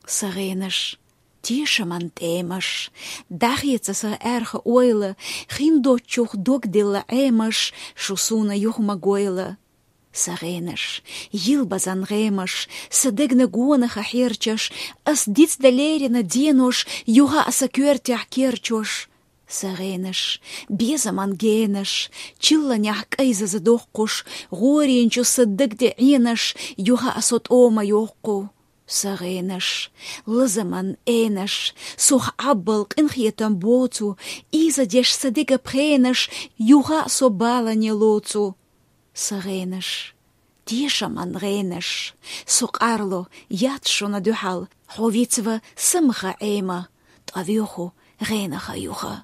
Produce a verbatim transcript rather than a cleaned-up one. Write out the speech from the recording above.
Са гӀенаш, тешаман тӀемаш, дӀахеца са аьрха ойла, хиндоччух дог делла Ӏемаш, шу суна юха ма гойла. Са гӀенаш, йилбазан гӀемаш, са дегна гонаха хьерчаш, ас дицда лерина денош, юха а са коьртехь керчош. Са гӀенаш, безаман генаш, чилланехь кӀайзаза доккхуш, гӀорийначу са даг тӀе Ӏенаш, юха а со тӀома йоккху. Са гӀенаш, лазаман Ӏенаш, сох Ӏаббал къинхетам боцу, ийзадеш са дега пхенаш, юха а со балане лоцу. Са гӀенаш, тешаман гӀенаш, со къарло яц шуна дуьхьал, хьо вицва самаха Ӏема, ткъа воьху гӀенаха юха.